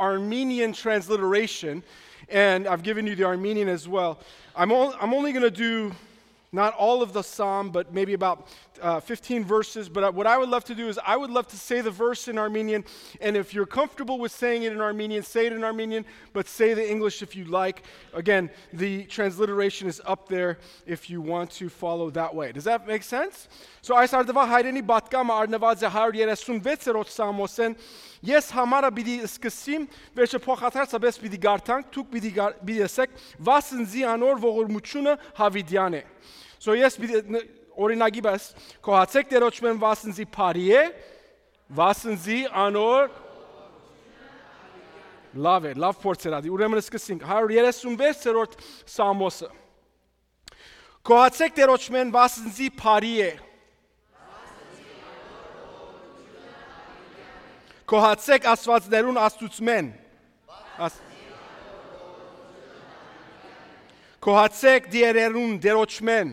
Armenian transliteration, and I've given you the Armenian as well. I'm only going to do not all of the psalm, but maybe about 15 verses. But what I would love to do is I would love to say the verse in Armenian. And if you're comfortable with saying it in Armenian, say it in Armenian, but say the English if you like. Again, the transliteration is up there if you want to follow that way. Does that make sense? So այս արդվա հայրենի բատկամը արնված է 136-րդ Սամոսեն. Ես համարը պիտի սկսեմ, վերջը փոխաթարցաբես պիտի գարտանք, դուք պիտի ասեք, վասնզի անոր ողորմությունը հավիդյան է. So yes, օրինակի բաս, կոհացեք դերոճմեն վասնզի բարի է, վասնզի անոր լավ է, լավ փորձերադի, ուրեմն սկսենք 136-րդ Սամոսը. Կոհացեք դերոճմեն վասնզի բարի է, Կոհացեք ասվածներուն աստուծմեն, Կոհացեք դիերերուն դերոճմեն,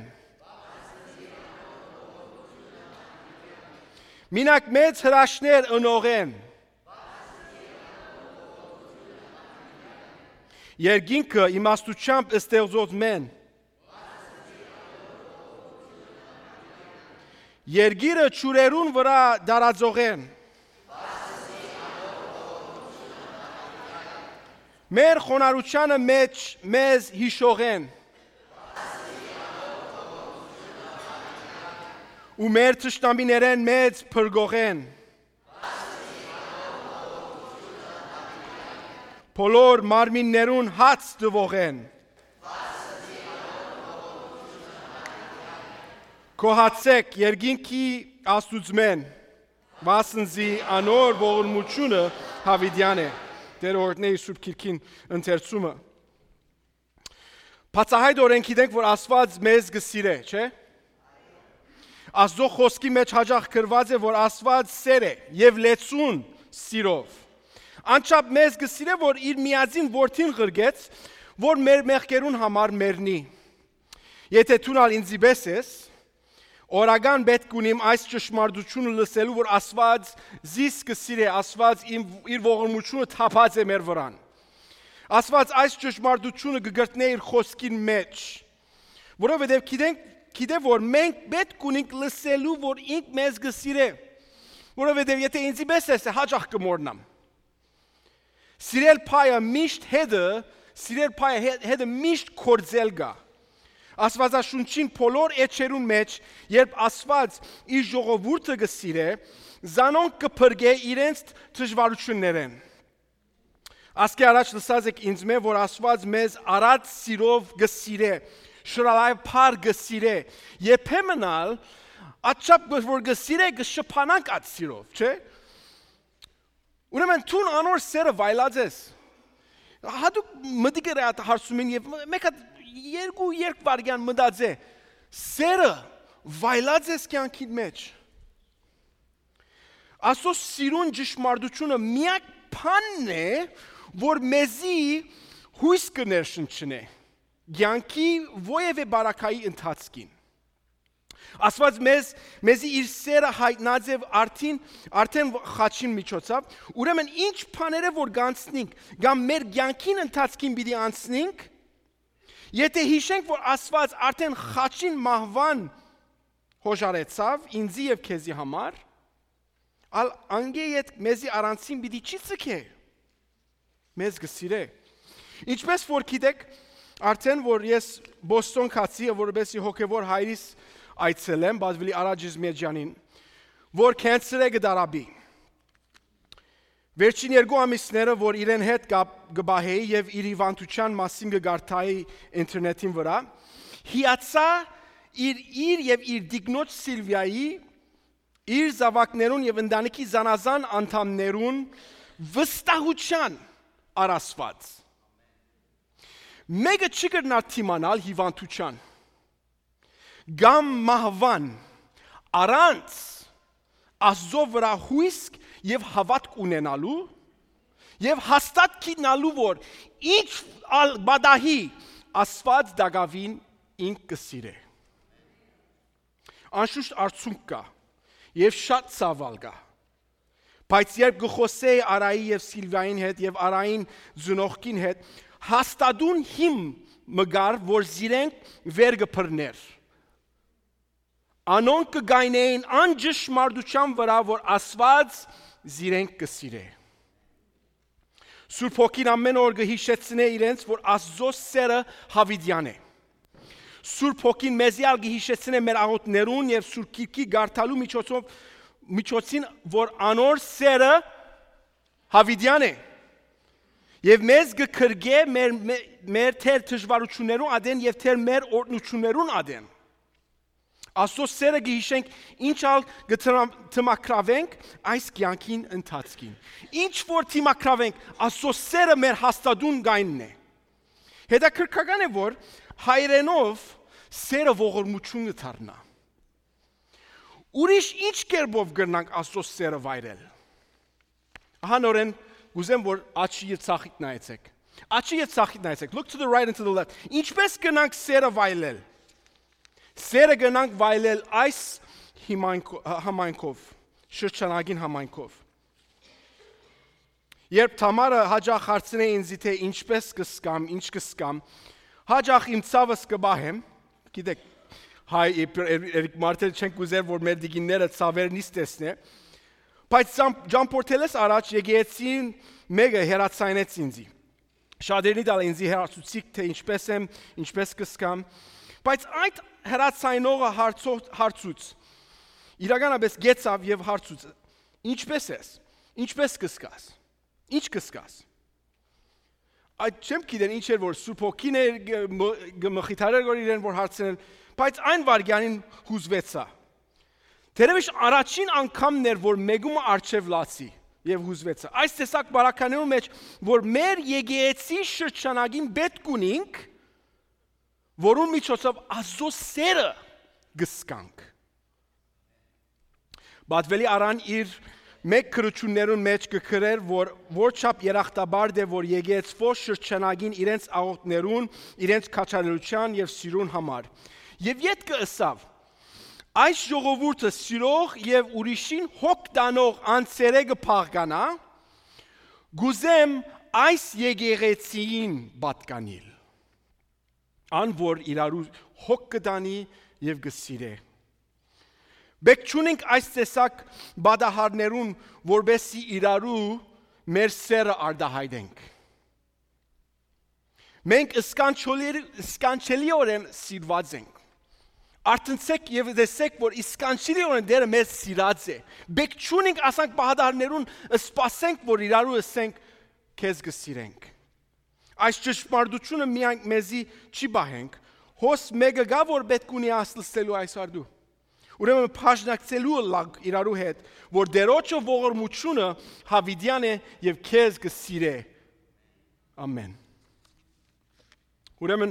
Մինակ մեծ հրաշներ ընողեն, Երգինքը իմաստությամբ ստեղծոց մեն, Երգիրը ճուրերուն վրա դարածողեն, Մեր խոնարհությանը մեջ մեզ հիշողեն, ու մեր թշնամիներեն մեծ փրկողեն, բոլոր մարմիններուն հաց տվողեն, Կոհացեք երկինքի աստուծմեն, վասնզի անոր ողորմությունը հավիդյան է. Դեր օրհնեի Սուրբ Քիրքին ընթերցումը. Բացահայտորեն գիտենք, որ Աստված մեզ գսիրե, չէ՞։ Աստծո խոսքի մեջ հաջող գրված է, որ Աստված սեր է եւ լեցուն սիրով. Անչափ մեզ գսիրե, որ իր միածին որդին ղրգեց, որ մեր մեղքերուն համար մեռնի. Եթե ցունալ ինձի բեսես, Օրական պետք ունիմ այս ճշմարտությունը լսելու, որ Աստված զիս կսիրե, Աստված իր ողորմությունը թափած է մեր վրան. Աստված այս ճշմարտությունը կգրտնե իր խոսքին մեջ, որովհետև գիտե որ մենք պետք ունենք լսելու, որ ինք մեզ կսիրե, որովհետև եթե ինձի պես է, հաճախ կմոռնամ. Սիրել փայը միշտ կործել գա. Աստվածաշունչին բոլոր էջերուն մեջ, երբ Աստված իր ժողովուրդը կսիրե, զանոնք կփրկե իրենց դժվարություններեն. Ասկի առաջ լսած եք ինձ մե, որ Աստված մեզ արած սիրով կսիրե, շռայլափար կսիրե, երբեմնալ աչափ որ կսիրե կշփանանք այդ սիրով, չէ՞։ Ուրեմն ցուն անոր սերը վայլածես. Հատուկ մտիկեր է հարցում են եւ մեկ երկու վարգյան մտածե սերը վայլած ես կյանքին մեջ. Աստծո սիրուն ճշմարտությունը միակ բանն է, որ մեզի հույս կներշնչնե կյանքի ովևէ բարակայի ընթացքին. Աստված մեզի իր սերը հայտնած է արդեն խաչին միջոցով, ուրեմն ինչ բաները որ կանցնենք, կամ մեր կյանքին ընթացքին պիտի անցնենք, եթե հիշենք, որ Աստված արդեն խաչին մահվան հոժարեցավ ինձի եւ քեզի համար, ալ անգե ետ մեզի առանցին պիտի չի ցկե, մեզ գսիրե. Ինչպես որ գիտեք, արդեն որ ես Բոստոն կացի, որովհետեւ հոգեվոր հայրիս այցելեմ, բազվելի Արաջիզ Մեջյանին, որ կենսեր է գդարաբի. Վերջին երկու ամիսները, որ իրեն հետ գբահեի եւ իր հիվանդության մասին գարտայի ինտերնետին վրա, հիացա իր եւ իր դիգնոջ Սիլվիայի, իր զավակներուն եւ ընտանիքի զանազան անդամներուն վստահության առասված. Մեկը չկրնա թիմանալ հիվանդության, գամ մահվան, առանց Աստծո վրա հույսք եւ հավատք ունենալու եւ հաստատ գտնալու, որ ինչ բադահի Աստված դակավին ինք կսիրե. Անշուշտ արդյունք կա եւ շատ ցավալ կա, Բայց երբ գխոսեի Արայի եւ Սիլվիային հետ եւ Արային ծնողքին հետ, հաստատուն հիմ մգար, որ զիրենք վեր գփռներ։ Անոնք կգայնեին անջշմարտության վրա, որ Աստված զիրենք կսիրե։ Սուրբ Հոգին ամեն օր կհիշեցնե իրենց, որ Աստծո սերը հավիտյան է։ Սուրբ Հոգին մեզի ալ կհիշեցնե մեր աղոթներուն եւ Սուրբ Գիրքի գարթալու միջոցին, որ անոր սերը հավիտյան է։ Եվ մեզ կքրգե մեր թեր դժվարություններուն ադեն եւ թեր մեր օրհնություններուն ադեն։ Աստծո սերը կհիշենք, ինչ ալ կթմակրավենք այս կյանքին ընթացքին։ Ինչ որ թմակրավենք, Աստծո սերը մեր հաստատուն գայնն է։ Հետաքրքրական է, որ հայրենով սերը ողորմություն կդառնա։ Ուրիշ ինչ կերպով կգնանք Աստծո սերը վայրել։ Ահա նորեն գուզեմ, որ աչքի եւ ցախիտ նայեցեք։ Աչքի եւ ցախիտ նայեցեք։ Look to the right and to the left. Ինչպես կգնանք սերը վայրել։ Սերը գնանք վայելել այս համայնքով, շրջանագին համայնքով։ Երբ Թամարը հաջախ հարցնե ինձ, թե ինչպես կսկամ, ինչ կսկամ, հաջախ իմ ցավս կբահեմ, գիտեք, հայ Էրիկ Մարտել չենք ուզեր, որ մեր դիգինները ցավերն իսկ տեսնե, բայց ճամփորդելս առաջ եկեցին մեկը հերացայնեց ինձ։ Շատերնի դալ ինձ հերացուցիկ, թե ինչպես եմ, ինչպես կսկամ, բայց այդ հերացայնողը հարցուց, իրականապես գեցավ եւ հարցուց, ինչպես ես, ինչպես կսկաս, ինչ կսկաս։ Այդ չեմ գիտեն ինչ էր, որ Սուրբ Հոգին էր գմխիթարեր որ իրեն որ հարցնել, բայց այն վարգյանին հուզվեցա։ Թերևս առաջին անգամն էր, որ մեգումը արչև լացի եւ հուզվեցա։ Այս տեսակ բարականերու մեջ, որ մեր եկեղեցի շրջանագին պետք ունենք, որուն միջոցով Աստծո սերը գսկանք։ Բադվելի արան իր մեկ քրություններուն մեջ կգրեր, որ որչափ երախտաբար է, որ եկեղեցվո շրջանագին իրենց աղոթներուն, իրենց քաջալերության եւ սիրուն համար։ Եվ յետքը ըսավ. այս ժողովուրդը սիրող եւ ուրիշին հոգ տանող անձերը կփաղկանա, գուզեմ այս եկեղեցին պատկանիլ։ Ան որ իրարու հոգ կտանի եւ կսիրե։ Բեք չունենք այս տեսակ բադահարներուն, որբեսի իրարու մեր սերը արդահայտենք։ Մենք սկանչելիորեն սիրված ենք։ Արտնցեք եւ դեսեք, որ իսկանչելիորեն դերը մեզ սիրած է։ Բեք չունենք ասանք բադահարներուն, սպասենք, որ իրարու ասենք, քեզ կսիրենք։ Այս ճշմարտությունը միայն մեզի չի բահենք, հոս մեկը գա, որ պետք ունի ասլսելու այս արդու։ Ուրեմն փաշնակցելու լագ իրարու հետ, որ դերոջը ողորմությունը հավիտյան է եւ քեզ կսիրե։ Ամեն։ Ուրեմն